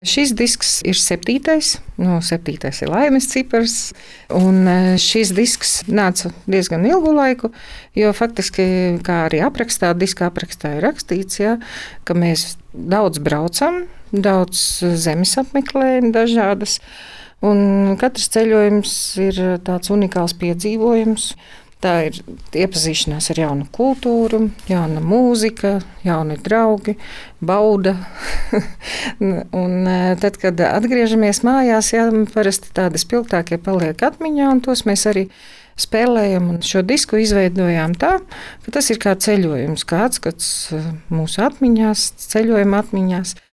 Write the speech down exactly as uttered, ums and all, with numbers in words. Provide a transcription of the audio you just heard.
Šis disks ir septītais, no septītais ir laimes cipars, un šis disks nāca diezgan ilgu laiku, jo faktiski, kā arī aprakstā, diska aprakstā ir rakstīts, ja, ka mēs daudz braucam, daudz zemes apmeklējam dažādas, un katrs ceļojums ir tāds unikāls piedzīvojums. Tā ir iepazīšanās ar jaunu kultūru, jauna mūzika, jauni draugi, bauda. Un tad, kad atgriežamies mājās, jā, parasti tādi spilgtākie paliek atmiņā, un tos mēs arī spēlējam. Un šo disku izveidojām tā, ka tas ir kā ceļojums, kā atskats mūsu atmiņās, ceļojuma atmiņās.